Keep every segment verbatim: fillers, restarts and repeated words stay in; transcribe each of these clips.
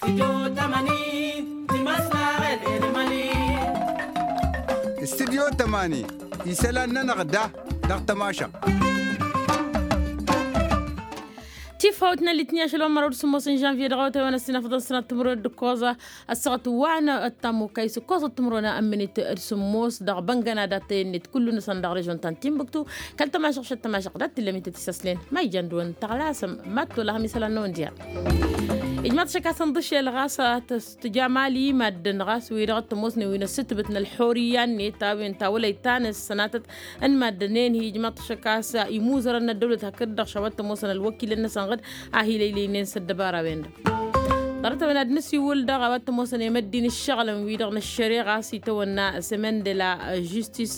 Studyo tămani isălan-nănăɣ da dăɣ-tămašăɣt. Tifawt n-alitni ašăl wa n-măraw d-sǝmmos n-žănvye dăɣ-awătay wa n-ăssinăfăḍăn sănat timǝrwen d-ǝkkoẓa ăssaɣăt wa n-ăttamukay s-ǝkkoẓăt timǝrwen n-minit d-sǝmmos dăɣ-băngăna dat-tăyănnet kullu-năsăn dăɣ-režon ta n-timbuktu. Kăl-tămašăɣ šăt tămašăɣ dat-tǝllăm ităt isăslen ma ijăn dăɣ-wăn tăɣlasăm mad-tolăhăm isălan n-awǝndyar. Ijmaḍ šăkasăn ḍǝšel ɣas tǝja mali maddǝn ɣas wi-dăɣ t-ămoosnen wi n-ăssǝtbǝt n-ălxurǝyya-net a-wen ta wălăy ta n-ăssănatăt n-maddǝn-en hi-ijmaḍ šăkas imuzărăn n-ăddăwlăt hakd-dăɣ šawăt t-ămoosăn ălwăkilăn-năsăn ɣǝd a hi-lăylăynen s-ăddăbara-wen-dăɣ. Ḍarăt-a-wen ad-nǝsiwǝl daɣ a-wa t-ămoosăn i-măddin ǝššăɣǝlăn wi-dăɣ n-ăššăreɣa a-s itawănna sămendela žustis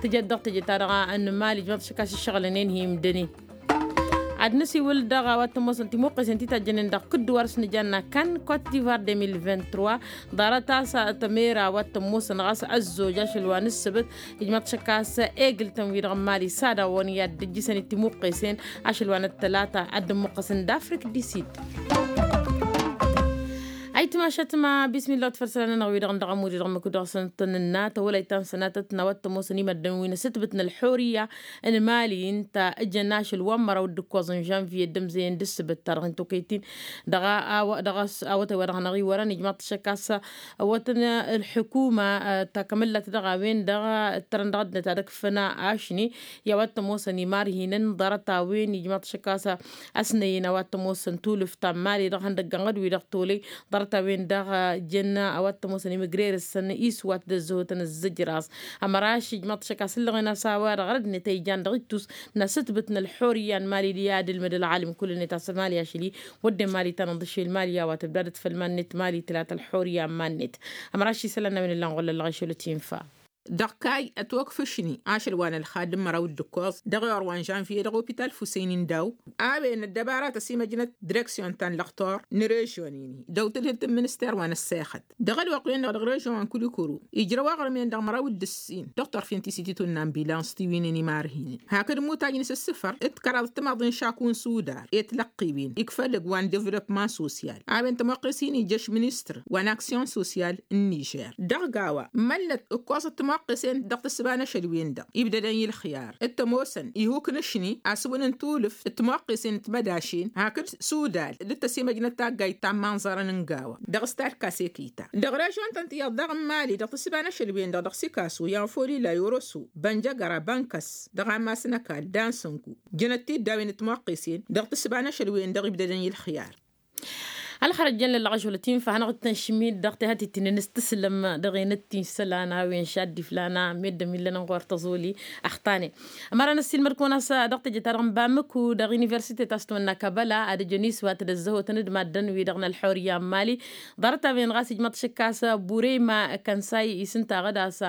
tǝjăt dăɣ-teje-ta-dăɣ n-mali ijmaḍ šăkas ǝššăɣǝlăn-en hi-imdănen. Ad-nǝsiwǝl daɣ a-wa t-ămoosăn timuqqesen ti tajjănen dăɣ-kǝddǝwar s-nǝjanna kan kot divar deux mille vingt-trois. Ḍarăt a-s tămera a-wa t-ămoosăn ɣas ăzzoj ašăl wa n-ǝssǝbǝt ijmaḍ šăkkas egǝl-tăn wi-dăɣ n-mali s-ad-awăn i-ad-dd-ǝjjǝsăn i-timuqqesen ašăl wa n-ăttălata ad-dd-ămmuqqăsăn d-afrik disid. Ayǝtmašat ma bismillah wa tafărsăla-nănăɣ wi-dăɣ n-dăɣ-ămud-i dăɣ-măkku dăɣ-săn tăn-ǝnna tăwălay ta n-sănatăt n-a-wa t-ămoosăn i-măddǝn wi n-asǝtbǝt n-ălxurǝyya n-mali ǝnta ǝjăn ašăl wa n-măraw d-ǝkkoẓ n-žănviye d-ǝmzăyăn d-ǝssǝbǝt-ta-dăɣ hin-tokăyt-in dăɣ-a-wa dăɣ-a-s awătay wa dăɣ-hanăɣ-iwărăn ijmaḍ-t šăkkas ăwwătăn ălḥukuma takămăllat dăɣ-a-wen-dăɣ ǝttărăn dăɣ-ăddinăt ad-ăkfăn ašni i-a-wa t-ămoosăn imarhinen ḍarăt-a-wen ijmaḍ-t šăkkas ăsnăyăn a-wa t-ămoosăn tulǝft ta n-mali dăɣ-ihăndăgg ănɣăd-wi-dăɣ tolăy ḍarăt-a-wen-dăɣ jăn a-wa t-ămoosăn imǝgrerăsăn iswat d-ăzzăhotăn ăzzăjraẓ. Ămăraš ijmaḍ-t šăkkas ǝllăɣen a-s a-wa-dăɣ rădd-net a ijan dăɣ-ittus n-asǝtbǝt n-ălxurǝyya n-mali d-i-ad-ǝlmǝd ălɣalǝm kull-net a-s mali ašăl-i wădden mali ta n-aḍǝšel mali a-wa tǝbdadăt făll-iman-net mali tǝlat ălxurǝyya n-iman-net. Ămăraš isălan n-a-wen ǝllan ɣur-lăllăɣ ašăl ătinfa. Dăɣ-kayy ătwăkf ašni ašăl wa n-ălxad n-măraw d-ǝkkoẓ dăɣ-iwăr wa n-žănviye dăɣ-opital fusăyni n-daw a-wen ăddăbaratăs imăjnăt direksyon ta n-lăxtor n-režyon-in-hi dăw-tǝdhǝlt n-minister wa n-ăssexăt dăɣ-ălwăqq-wen-dăɣ dăɣ-režyon wa n-kulikuru ijrăw aɣrǝm-en dăɣ-măraw d-ǝssin dăɣ-turfen ti s-ititun n-ambilans ti win-en imarhinen hakd mutaj n-isǝssǝfăr d-kăraḍ timaḍ n-šaku n-sudar i-tilăqqiwen ikfăl ǝgg wa n-devlopman sosyal a-wen tămoqqes-in ija ašministr wa n-aksyon sosyal n-nižer dăɣ-gawa măllăt ǝkkoẓăt timoqqesen dăɣ-tǝssǝba n-ašăl-wen-dăɣ ibdădăn i-ǝlxiyar d-tămoosăn ihuk n-ašni asǝwǝn n-tulǝft d-timoqqesen d-timădašen hakd sudal d-tăsimăjnăt taggayt ta n-imanẓărăn n-gawa dăɣ-s talkasekita dăɣ-režyon-tăn tiyyăḍ daɣ n-mali dăɣ-tǝssǝba n-ašăl-wen-dăɣ dăɣ-sikasu yanfolila yoroso bănjăgăra bănkăs dăɣ-ammas n-ăkall dansǝnku jănăt tiddawen d-timoqqesen dăɣ-tǝssǝba n-ašăl-wen-dăɣ ibdădăn i-ǝlxiyar. Ălxărăt jăn-lăllăɣ ašăl ătinfa hanăɣ-dd-tăn-šǝmmid dăɣ-tehat-i t-innăn s-tǝslǝm dăɣ-enăt-ti n-isălan a-wen šadd iflan a meddǝm illăn ănɣur tăẓoli. Ăxtanen ămăra n-ăssiilmăd-kăwăn a-s dăɣ-teje-ta-dăɣ n-bamǝku dăɣ-universite ta s-tǝwănna kăbăla ad-ǝjăn iswat d-ăzzăhotăn d-maddǝn-wi-dăɣ n-ălxurǝyya n-mali. Ḍarăt-a-wen ɣas ijmăḍ šǝkkas bureyma kănsay isǝntaɣ-dd a-s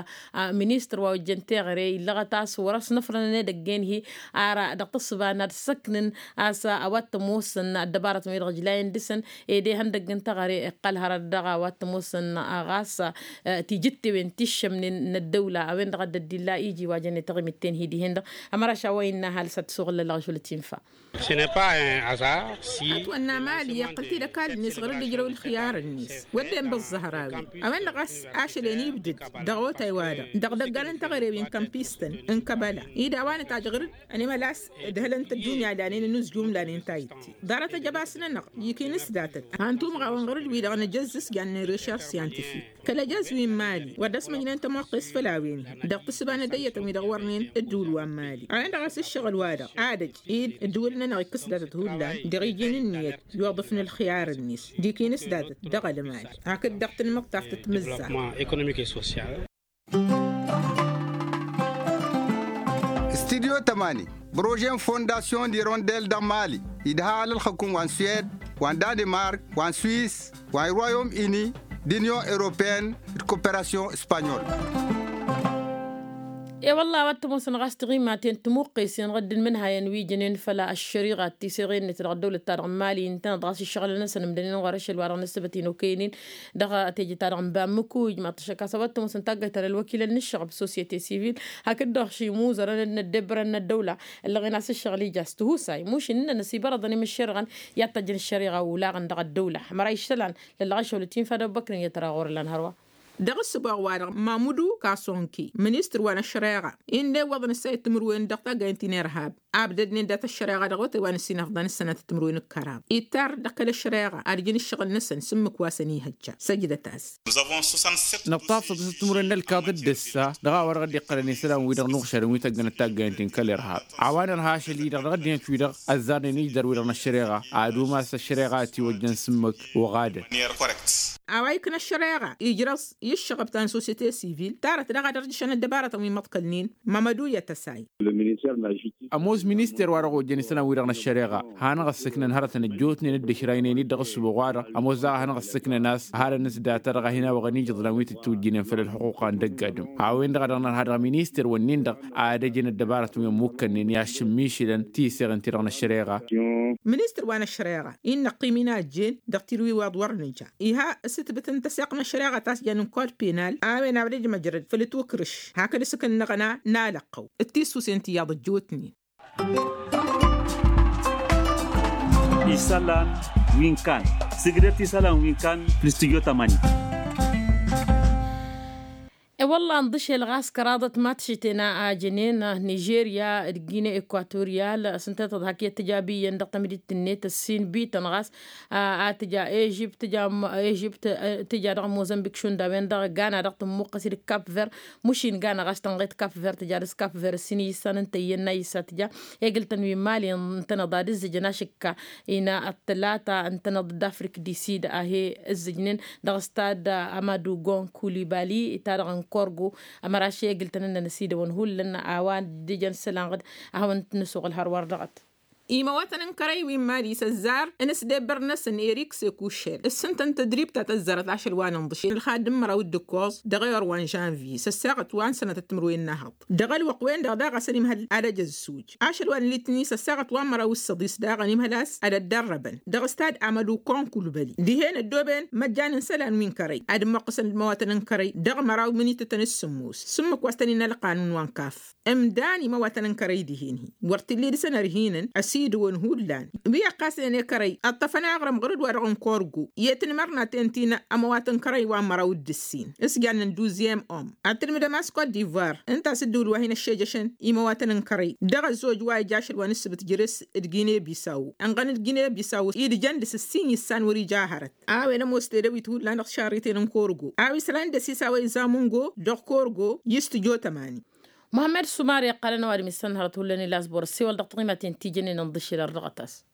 ministăr wa ojjăn teɣăre illăɣăt a-s wăr-ăsnăfrănăn edăgg-en-hi. Ar dăɣ-tǝssǝba n-ad-săknǝn a-s a-wa t-ămoosăn ăddăbarătăn-wi-dăɣ ǝjlayăn dăɣ-săn ed ihăndăgg n-teɣăre iqqăl hărăt dăɣ-a-wa t-ămoosăn ɣas tijǝttewen ti ǝššămnen n-ăddăwla a-wen-dăɣ a dd-illa iji wa jănnet taɣimit-ten-hi dihen-dăɣ. Ămăraš a-wa innă ăhalǝs ad-t-suɣǝl lălăɣ ašăl ătinfa. Ătwănna mali iqqăl-t-dd ăkall-net ɣur-dd-ǝjrăw ǝlxiyar-net wădden băẓẓăhrawen a-wen-dăɣ a-s ašăl-en ibdǝd dăɣ-otay-wa-dăɣ dăɣ-idăggan n-teɣăre wi n-kămpistăn n-kăbăla-i d-a-wa nǝtajj ɣur-dd ănimălas d-hălăn-t ăddunya lanen ănuzjum lanen tayǝtte. Ḍarăt ăjăbas-nănăɣ ikinǝs datăt han tumɣawăn ɣur-dd-wi-dăɣ nǝjăzzǝs jannen recherche scientifique kăl-ăjăz wi n-mali wăr dd-ăsmăjnen tămoqqes făll-a-wen-hi dăɣ-tǝssǝba n-edăyyătăn wi-dăɣ wărnen dd-ulwa n-mali a-wen-dăɣ a-s ǝššăɣǝl-wa-dăɣ ad-ăj ed ǝddǝwǝl-nănăɣ ikkǝs datăt hullan dăɣ-iji n-ǝnniyăt i-uḍǝf n-ǝlxiyar-net d-ikinǝs datăt dăɣ-ălmali hakd dăɣ-tanmăḍtaft d-timǝzzaɣt. Studyo tămani prože n-fondasyon d-irondel dăɣ-mali idha alălxăkum wa n-suwed wa n-danimark wa n-swis wa n-royom uni d-unyon europeyăn d-koperasyon spanyol. E-wălla a-wa t-ămoosăn ɣas tiɣimaten timuqqesen ɣǝddǝn imǝnhayăn wi jănen făll-ăššăriɣa d-tiseɣen-net dăɣ-ăddăwlăt-ta-dăɣ n-imali ǝntăneḍ ɣas ǝššăɣǝlăn-năsăn ǝmdănen ɣur-ašăl wa dăɣ-nǝssǝbăt inokenin dăɣ-teje-ta-dăɣ n-bammuku ijmaḍ-t ăššăk a-s a-wa t-ămoosăn taggayt ta n-ălwăkilăn n-ǝššăɣăb societe civil hakd-dăɣ šimuzărăn d-inăddebărăn n-ăddăwla ǝllăɣen a-s ǝššăɣǝl ija s-tihusay mušin ǝnnăn ăsibărăḍăn i-imǝššerăɣăn i-ad-tajjăn ăššăriɣa olaɣăn dăɣ-ăddăwla ămăra iššălan lăllăɣ ašăl timfadăw băknǝn i-ad-tăra ɣur-ăllan hărwa. Dăɣ-ǝssǝbaɣ-wa-dăɣ mamǝdu kasonke ministăr wa n-ăššăreɣa inn'-e iwwăḍăn ǝssa i-timǝrwen dăɣ-taggaynt ti n-irhab abdădnen dat-ăššăreɣa dăɣ-wătay wa n-ǝssinăfḍăn ǝssănăt timǝrwen n-kăraḍ ittar dăɣ-kăl-ăššăreɣa ad-ǝjǝn ǝššăɣǝl-năsăn s-ǝmmǝk wa săn-ihăjja. Săjdăt-as. Nǝṭṭafăḍ s-timǝrwen n-ălkaḍ d-ǝssa dăɣ-a-wa dăɣ-dd-iqqălăn isălan-wi-dăɣ n-uɣšadăn wi tăggănăt taggaynt ti n-kăl-irhab a-wa nărha ašăl-i-dăɣ dăɣ-ăddinăt-wi-dăɣ ăzzarnen ijdăr-wi-dăɣ n-ăššăreɣa ad-umas ăššăreɣa a ătiwăjjăn s-ǝmmǝk. Oɣadăn. A-wa ikna ăššăreɣa ijrăẓ i-ǝššăɣăb ta n-sosete sivil tarăt daɣ ad-ărjǝšăn ăddăbarătăn wi măḍkălnen. Mămădu i-ad-tăsay. Ămoos minister wa dăɣ-ojjăn isălan-wi-dăɣ n-ăššăreɣa hanăɣ-ăssǝknăn hărătăn ăjjootnen d-ǝšraynen-dd dăɣ-ǝssǝboɣ-wa-dăɣ ămoos daɣ a hanăɣ-ăssǝknăn a-s ăhalăn-s data-dăɣ a hin-awăɣăn ijǝḍlan wi tǝttǝwǝjjǝnen făll-ălxuqq a n-dăgg-adǝm. A-wen-dăɣ a dăɣ-nărha dăɣ-minister-wǝnnin-dăɣ ad-ăjǝn ăddăbarătăn wi ămmukkănnen i-ad-šǝmmišǝlăn tiseɣen-ti-dăɣ n-ăššăreɣa. Ministăr wa n-ăššăreɣa innă ăqqim-in a ăjjeen dăɣ-tilwiwaḍ wăr nǝja iha s-ǝtbǝt n-tăseɣt n-ăššăreɣa ta s-jan n-kod penal. A-wen abdăj măjrăd făll-ǝtwǝkrǝš hakd s-ǝkǝnnăɣna n-alăqqăw d-tisusen tiyyăḍ ăjjootnen. Isălan wi n-kan sǝgdăt isălan wi n-kan fl-studyo tămani. E-wălla ǝnḍǝšel ɣas kăraḍăt ma t-šǝten a jănen nižerya d-gine ekwatoriyal s-ǝntăneḍ hak i-ad-tǝja biyyăn dăɣ-tamdit-net ǝssin bităn ɣas a tǝja ežipt tǝja dăɣ-mozămbik šund a-wen-dăɣ gana dăɣ-tǝmmuqqăs-dd kap ver. Mušin gana ɣas tănɣet kap ver tǝja dăɣ-s kap ver ǝssin iyǝssan ǝnta iyyăn n-a iyǝssa tǝja egǝl-tăn wi n-mali ǝntăneḍ ad-ǝzzǝjăn ašǝkka. Ină ăttălata ǝntăneḍ d-afrik disid a he-ǝzzǝjnen dăɣ-s tad-amădugon kulibali ta-dăɣ n-korgo. Ămăraš egǝl-tăn ǝnnăn ăsidăwăn hullan a-wa dd-ǝjăn isălan ɣǝd a hawăn-t-nǝsuɣǝl hărwa-dd dăɣ-t. Imăwătăn n-kărăy wi n-mali s-ăzzar n-ăsdebbăr-năsăn erik sekušel ǝssǝntăn tădrib ta tăzzarăt ašăl wa n-inḍǝšel ălxadd n-măraw d-ǝkkoẓ dăɣ-ewăr wa n-žănvye s-ăssaɣăt wa n-sănătăt timǝrwen n-ehăḍ. Dăɣ-ălwăqq-wen-dăɣ daɣ a-s ănimhăl ad-ăj ăzzuj ašăl wa n-litni s-ăssaɣăt wa n-măraw s-săḍis daɣ ănimhăl a-s ad-ăddărrăbăn dăɣ-s tad-amădu konkulbăli dihen ăddooben măjjan n-isălan wi n-kărăy ad-ămmuqqǝsăn d-imăwatăn n-kărăy dăɣ-măraw minitătăn s-sǝmmos s-ǝmmǝk wa s-tăn-innă ălqanun wa n-kaf. Ǝmdan imăwatăn n-kărăy dihen-hi wăr t-illa idǝsăn ărhinăn ăsidǝwăn hullan wi ăqqasnen i-kărăy ǝṭṭăfăn aɣrǝm ɣur-dd wa dăɣ-n korgo i-tinmărnaten ti n-ămăwat n-kărăy wa n-măraw d-ǝssin s-jannen duzyem om ad-tǝlmǝdăm a-s kot divoir ǝnta a-s dd-ǝwǝl wa hin-ăššejăšăn imăwatăn n-kărăy dăɣ-ăzzoj wa ija ašăl wa n-ǝssǝbǝt jere-s d-gine bisaw ǝnɣăn d-gine bisaw idǝjăn dăɣ-s ǝssin issan wăr-ija hărăt. A-wen ămoos tedăwit hullan dăɣ-tišarriten n-korgo a-wa isălan d-ăsiis a-wa izamungo dăɣ-korgo i-s tǝjo tămani. Muhămmăd sumar iqqălăn ăwadǝm isănhărăt hullan ila s-bor ăssewăl dăɣ-tiɣimaten ti jănnen ǝnḍǝšel ărrăɣăt-as.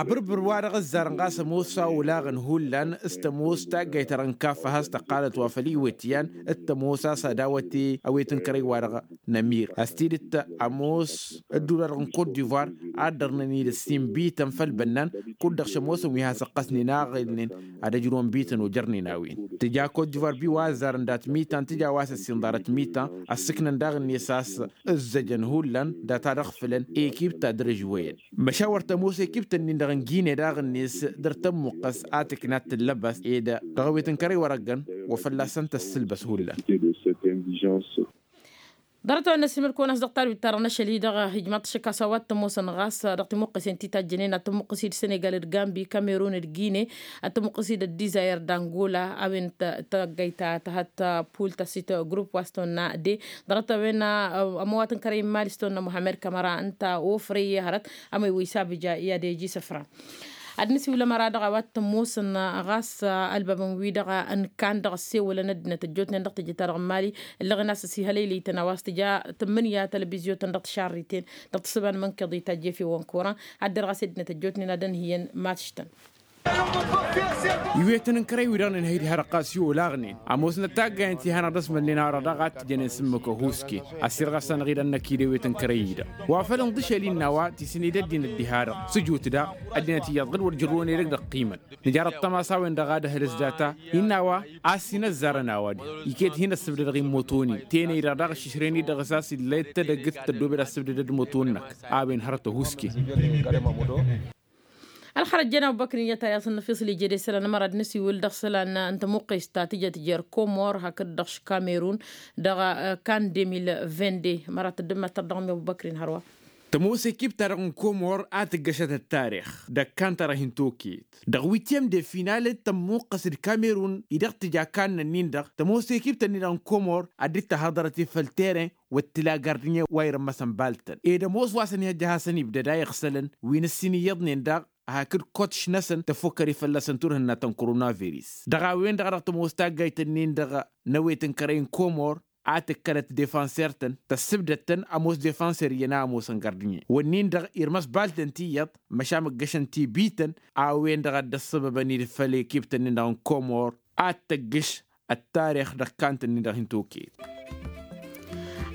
Abǝrbǝr wa dăɣ-ǝzzarăn ɣas ămoos a olaɣăn hullan s-tămoos taggayt-ta-dăɣ n-kaffa has-tăqqalăt wa făll-iwet iyyăn d-tămoos a-s ad-awăte ăwet n-kărăy-wa-dăɣ n-amir ăstidǝt ămoos ădduul-wa-dăɣ n-kot divoir ad-dărnăn-dd ǝssin bităn făll-bănnan kud-dăɣ šămoosăn wi has-ăqqăsnen aɣǝlnen ad-ăjrǝwăn bităn ojărnen a-wen tǝja kot divoir bi wa ăzzarăn dat-mitan tǝja wa s-ǝssin ḍarăt mitan ăssǝknăn daɣ-net a-s ǝzzăjăn hullan data dăɣ-fǝlăn ekip ta dăr-ăžwăyăn. Măšawăr tămoos ekip-tăn-in-dăɣ n-gine daɣ-net dăr-tămmuqqăs a tǝkna ad-tǝllăbas ed dăɣ-ewet n-kărăy wăr-ăggăn wa fălla-săn tăssǝlbăs hullan. Ḍarăt-a-wen n-ăsimăl-kăwăn a-s dăɣ-talwit-ta-dăɣ n-ašăl-i-dăɣ ijmaḍ-t ašăk a-s a-wa t-ămoosăn ɣas dăɣ-timuqqăsen ti tajjănen ad-tămmuqqăs-dd senegal d-gambi kamerun d-gine ad-tămmuqqăs-dd ăddizayăr d-angola a-wen taggăyt ta tăhăt pul ta s-itgrup wa s-tonna de. Ḍarăt-a-wen ămăwat n-kărăy n-mali s-tonna muhammed kamăra ǝnta ofrăy i-hărăt. Ămăy wa isabǝja i-ad-ej isǝfra ad-nǝsiwǝl ămăra-dăɣ a-wa t-ămoosăn ɣas ălbabăn-wi-dăɣ n-kan dăɣ-ăssewălăn ăddinăt ăjjootnen dăɣ-teje-ta-dăɣ n-mali ǝllăɣen a-s ăsihălăylăy-tăn a-wa s-tǝja tǝmmǝnǝya tălbizyo-tăn dăɣ-tišarriten dăɣ-tǝssǝba n-imǝnkăḍ itajj efew ănkoran. Ad-dăr ɣas i-ăddinăt ăjjootnen ad-ănhǝyăn ma tǝštăn. Iwetăn n-kărăy-wi-dăɣ nǝnhăy diha-dăɣ ɣas i-olaɣnen ămoosnăt taggayen ti hanăɣ-dd-ăsmălnen a-wa-dăɣ daɣ a t-tǝjănen s-ǝmmǝk ăhuusken. Ăssirɣăs-anăɣ-dd ănnăk-dd ewet n-kărăy-i-dăɣ wa făl ǝnḍǝšel innă a-wa tisǝned ăddinăt diha-dăɣ s-ǝjut da ăddinăt iyyăḍ ɣǝd-wăr jărrǝwăn edăgg dăɣ-qiman. Nǝjar ăṭṭăma a-s a-wen-dăɣ ad-ăhǝlǝs data innă a-wa a-s hin-ăzzarăn a-wa-dăɣ iket hin-ăssǝbdădăɣ i-ămmoto-nin tenăy-dăɣ daɣ ǝššǝšrăyăn-dd dăɣ-s a-s illa i-dd tadăggǝt tăddoobed asǝbdădăd ămmoto-năk. A-wen hărăt ăhuusken. Ălxărăt jen abubăkrin i-ad-tayăẓ n-năfiṣ l-ije d-isălan ămăra d-nǝsiwǝl dăɣ-isălan n-tămuqqest ta tǝjăt jer-komor hakd-dăɣ š-kamerun dăɣ-kan de mil vinde. Ămăra tăddǝmmat tărdăɣ mi-abubăkrin hărwa. Tămoos ekip-ta-dăɣ n-komor a tǝggăšăt ăttarix d-ăkkan-ta-dăɣ hin-toket dăɣ-witiyăm de final d-tămmuqqăs d-kamerun-i-dăɣ tǝja kannăn-in-dăɣ tămoos ekip-tăn-in-dăɣ n-komor ad-dd-tăhhăḍărăt i-făll teren wăr t-tǝla gardinye wa irǝmmăsăn baltăn ed ămoos wa s-ănihăjja ad-hasăn-ibdăd a iɣsălăn wi n-ǝssin iyyăḍnen daɣ hakd kotš-năsăn tăffukkăre fălla-săn turhǝnna ta n-koronavirus. Dăɣ-a-wen-dăɣ a dăɣ-tămoos taggayt-ǝnnin-dăɣ n-ewet n-kărăy n-komor a tǝkkălăt defanser-tăn tăssǝbdăd-tăn ămoos defanser iyyăn a ămoosăn gardinye wănnin-dăɣ irmăs baltăn ti iyyăḍ măšan măggăšăn ti bităn. A-wen-dăɣ a dd-ăssăbăbăn-dd făll-ekiptăn-in-dăɣ n-komor ad-tăggǝš ăttarix dăɣ-kantăn-in-dăɣ hin-toket.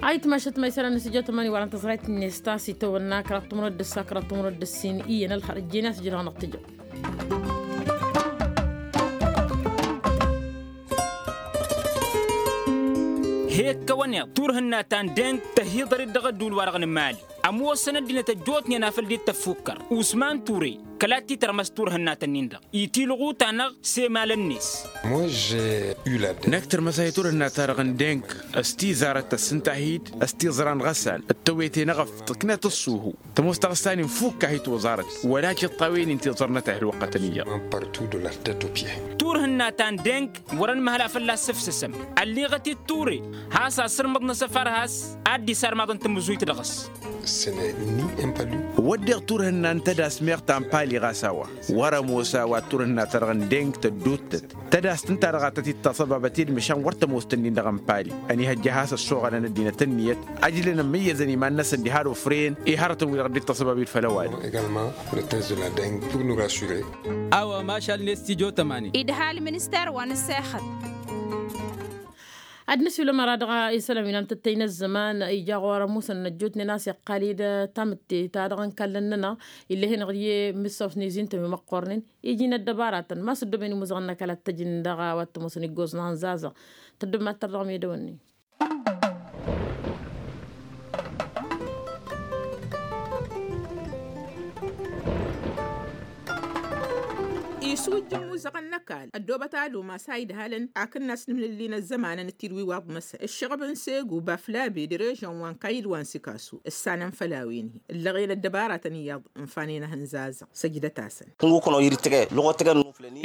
Ayǝtmašăt ma isălan n-asǝjjăt ămani wăren tăẓrayt-net ta s-itawănna kăraḍ timǝrwet d-ǝssa kăraḍ timǝrwet d-ǝssin iyyăn ălxărăt ǝjjen i-ad-sǝjrăɣ năɣtǝjăɣ. He-ǝkkăwăn iḍ turhǝnna ta n-deng tăhiḍăr-dd dăɣ-ădduul-wa-dăɣ n-mali ămoosăn ăddinăt ăjjootnen a făl dd-tăffukkăr usman ture kăla t-titărmăs turhǝnna-tăn-in-dăɣ itilɣu-ta-năɣ s-emalăn-net. Năkk tărmăs a hi-turhǝnna-ta-dăɣ n-deng s-tizarăt tăssǝnta-hi-dd s-tiẓra n-ɣăsal d-tăwete n-eɣăft tǝknăt ǝṣṣuhu tămoos taɣǝssa-nin fukk a hi-toẓarăt wăla tiṭṭawen-in tiẓărnăt ăhălwăqqătăn iyyăḍ. Turhǝnna ta n-deng wăr-ănmăhăl a fălla-s ǝfsǝsăm ălliɣăt-dd ture has-asǝrmǝḍ n-asăfar has-ad-dd-isarmaḍăn tamǝzuyt dăɣ-s. Wădden turhǝnna n-tădas meɣ ta n-pali ɣas a-wa wăr-ămoos a-wa turhǝnna-ta-dăɣ n-deng tădduuttăt tădas-tǝnta-dăɣ a tăt-dd-taṣăbabăt-dd măšan wăr tămoos-tăn-in-dăɣ n-pali ănihăjja a has-ăssoɣălăn ăddinăt ǝnniyăt ăjlăn ămmǝyyăzăn iman-năsăn diha d-ofren i-hărătăn-wi-dăɣ dd-taṣăbabit făll-ăwadǝm. A-wa mašal n-estijotămani idha ălminister wa n-ăssexăt. Ad-nǝsiwǝl ămăra dăɣ-isălan wi n-antăttăy n-ăzzăman ija ɣur-ămuusăn ăjjootnen a-s iqqal-dd tamǝtte ta dăɣ-inkallăn-nănăɣ ill'-e-hin-dăɣ i-mǝssaw s-nizintăn wi măqqornen iji n-ăddăbaratăn ma s-ăddooben imuzăɣăn n-ăkall ad-t-ăjǝn dăɣ-a-wa t-ămoosăn iggoẓ n-ahănzazăɣ. Tăddǝmmat tărdăɣ medăwănni. Isujjăn imuzăɣăn n-ăkall ăddoobăt alum a-s a idhalăn akǝnnas n-imlǝlli n-ăzzămanăn d-tidwiwaḍ-năsăn ǝššăɣăb n-segu baflabe d-režăn wa n-kayǝl wa n-sikasu ǝssanăn făll-a-wen-hi ǝllăɣen ăddăbaratăn iyyăḍ ǝnfanen ahǝnzazăɣ. Săjdăt-asăn.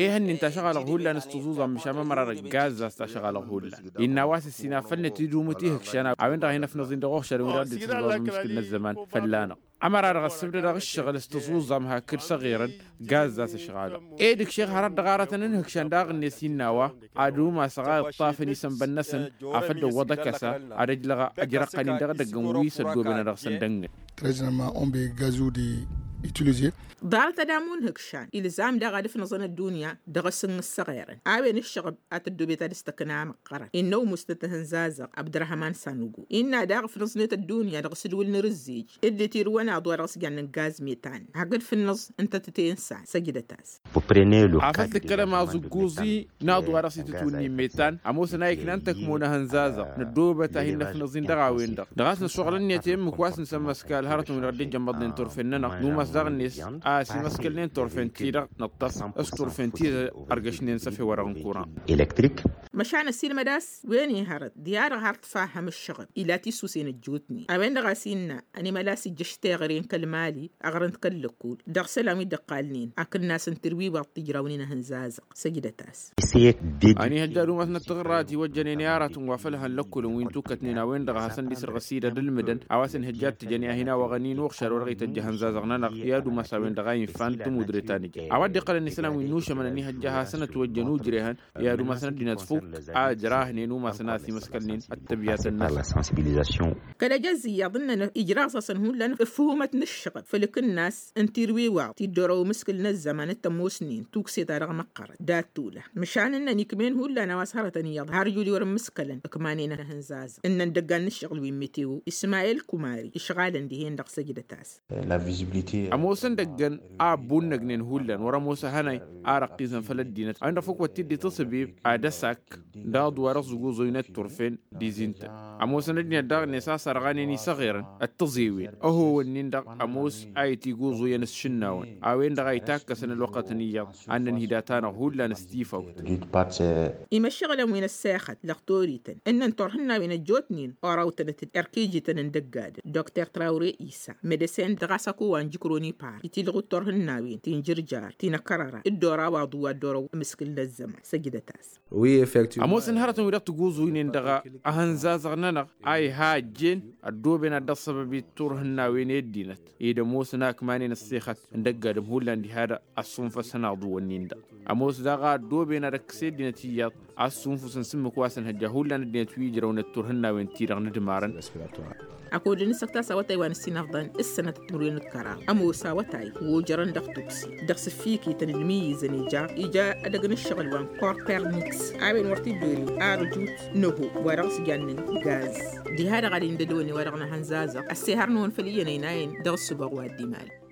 Ehăn-in tašăɣalăɣ hullan s-tǝẓuẓam măšan mămăra d-ăgg-azza s-tašăɣalăɣ hullan innă a-wa s-ǝssin afăl năt idumǝt ihǝkšan a-wen-dăɣ a hin-ăfnăẓ-in dăɣ-uɣšadăn wi dăɣ-dd-itǝzẓaẓ mǝškǝl n-ăzzăman fălla-năɣ. Ămăra-dăɣ ăssǝbdădăɣ ǝššăɣǝl s-tǝẓuẓam hakd s-aɣerăn gazza s-ǝšɣalăɣ. Ed ǝkšeɣ hărăt dăɣ-aratăn n-ihǝkšan daɣ-net innă a-wa ad-umasăɣ a iṭṭafăn isănbăn-năsăn afăl dăwwăḍ ăkăsa ad-ăjlăɣ ajrăqqăn-in dăɣ-edăgg n-wi s-ăddooben ad-dăɣ-săn dăngnăt. Ḍarăt ad-amu n-ihǝkšan ilzam daɣ ad-ǝfnăẓăn ăddunya dăɣ-asǝnn s-aɣerăn a-wen ǝššăɣăb a tăddoobet ad-ǝstăkna măqqărăn innă umustăt ihǝnzazăɣ abdărhăman sanugo innă daɣ ǝfnăẓnet ăddunya dăɣ-asǝdwǝl n-arǝzzej dd-itirǝwăn aḍu a dăɣ-s jannen gaz metan hakd fǝnnăẓ n-tătăte n-san săjdăt-as. Afăl tǝkkălăm aẓǝgguẓ-i n-aḍu a dăɣ-s itǝtwǝnni n-metan ămoosăn a iknan tăkmo n-ahǝnzazăɣ năddoobăt a hin-năfnăẓ-in dăɣ-a-wen-dăɣ dăɣ-a-s năššuɣǝl-net i-ǝmmǝk wa s-nǝsămmăskal hărătăn-wi-dăɣ dd-ijămmăḍnen turfen-nănăɣ numas daɣ-net a ăsimăskălnen turfen-ti-dăɣ nǝṭṭăf s-turfen-ti-dăɣ ărgăšnen s-efew wa dăɣ-n kuran. Măšan ăsiilmăd a-s wen-i hărăt d-i-ad-dăɣ har tǝfahhăm ǝššăɣăb ila tisusen ăjjootnen a-wen-dăɣ a-s innă ănimăl a-s ijjăš teɣăre n-kăl-mali aɣrǝm d-kăl-lăkkul dăɣ-isălan wi dd-ăqqalnen akǝnnas n-tirwiwaḍ tǝjrawnen ahǝnzazăɣ. Săjdăt-as. Ănihăjja ad-umasnăt tiɣǝrra a tiwăjjănen i-aratăn wa făl hăn lăkkulăn wi n-tukătnen a-wen-dăɣ a hasăn-dd-isrăɣ ăsidăd ǝlmǝdăn a-wa s-ănhăjja ad-t-ǝjăn i-ad-hin-a wăɣăn-in uɣšad wa dăɣ-ităjj ihănzazăɣ-nănăɣ i-ad-umas a-wen-dăɣ a infan tămudre ta n-ija a-wa dd-iqqălăn isălan wi n-nušămăn ănihăjja hasăn-ătwăjjăn ujrehăn i-ad-umasăn ăddinăt fuk a ǝjrahnen umasăn a ăsimăskălnen ăttăbyatăn-năsăn. Kăl-ejăzz iyyăḍ ǝnnăn ijraẓ-asăn hullan ǝfhumăt n-ǝššăɣǝl făll-akǝnnas n-tirwiwaḍ ti dd-orăw amǝskǝl n-ăzzăman d-tămoosnen tukse-ta-dăɣ măqqărăt dat-tula. Măšan ǝnnăn ikm'-en hullan a-wa s-hărătăn iyyăḍ har jul i-wăr-ǝmmǝskălăn ǝkmanen ahǝnzazăɣ ǝnnăn dăggan n-ǝššăɣǝl wi n-meteo ismayel kumari išɣalăn dihen-dăɣ săjdăt-as. Ămoosăn dăgg-ǝnn a ăbbunnăgnen hullan wăr-ămoos ahănay a răqqizăn făll-ăddinăt a-wen-dăɣ făk wăr t-dd-itǝsǝbib ad-ăsak d-aḍu wa dăɣ-s ǝgguẓuynet turfen d-izintăn. Ămoosăn ăddinăt daɣ-net a sărɣanen isăɣirăn d-tăẓewen ăhowăn-nin-dăɣ ămoos a itiguẓuyăn s-išǝnnawăn a-wen-dăɣ a itakkăsăn ălwăqqătăn iyyăḍ ad-nǝnhǝy dat-anăɣ hullan s-tifawt. Imăššăɣǝlăn wi n-ăssexăt dăɣ-torităn ǝnnăn turhǝnnawen ăjjootnen orăwtănăt-dd erk ijităn n-dăgg-adǝm dr trawre isa medăsen dăɣ-a-s ăkăwăn jǝkroni par itilɣut turhǝnnawen ti n-jǝrjar ti n-ăkkărăra dd-oraw aḍu wa dd-orăw amǝskǝl n-ăzzăman săjdăt-as. Ămoosăn hărătăn wi dăɣ-tiguẓuynen dăɣ-ehănzazăɣ-nănăɣ a iha ăjjeen ăddooben ad-dăɣ-săbăbit turhǝnnawen i-ăddinăt ed ămoosăn a ǝkmanen ăssexăt n-dăgg-adǝm hullan diha-dăɣ ăssunfăsăn aḍu-wǝnnin-dăɣ. Ămoos daɣ a ăddooben ad-ăkkăs i-ăddinăt iyyăḍ a ǝssunfǝsăn s-ǝmmǝk wa s-ǝnhăjja hullan ăddinăt wi ǝjrăwnăt turhǝnnawen-ti-dăɣ n-ǝdmarăn. Ăkod n-isăkta s-awătay wa n-ǝssinăfḍăn s-sănăt d-timǝrwen d-kăraḍ ămoos awătay wa ojărăn dăɣ-tuksi dăɣ-s ǝffikităn d-imǝyyǝzăn ija ija edăgg n-ǝššăɣǝl wa n-korperniks a-wen wăr t-dd-ori arǝjut n-ăho wa dăɣ-s jannen gaz. Diha-dăɣ ad-indădăwăn i-wa-dăɣ n-ehănzazăɣ ăssihărnăwăn făll-iyyăn ăynayăn dăɣ-ǝssǝboɣ wa dd-imalăn.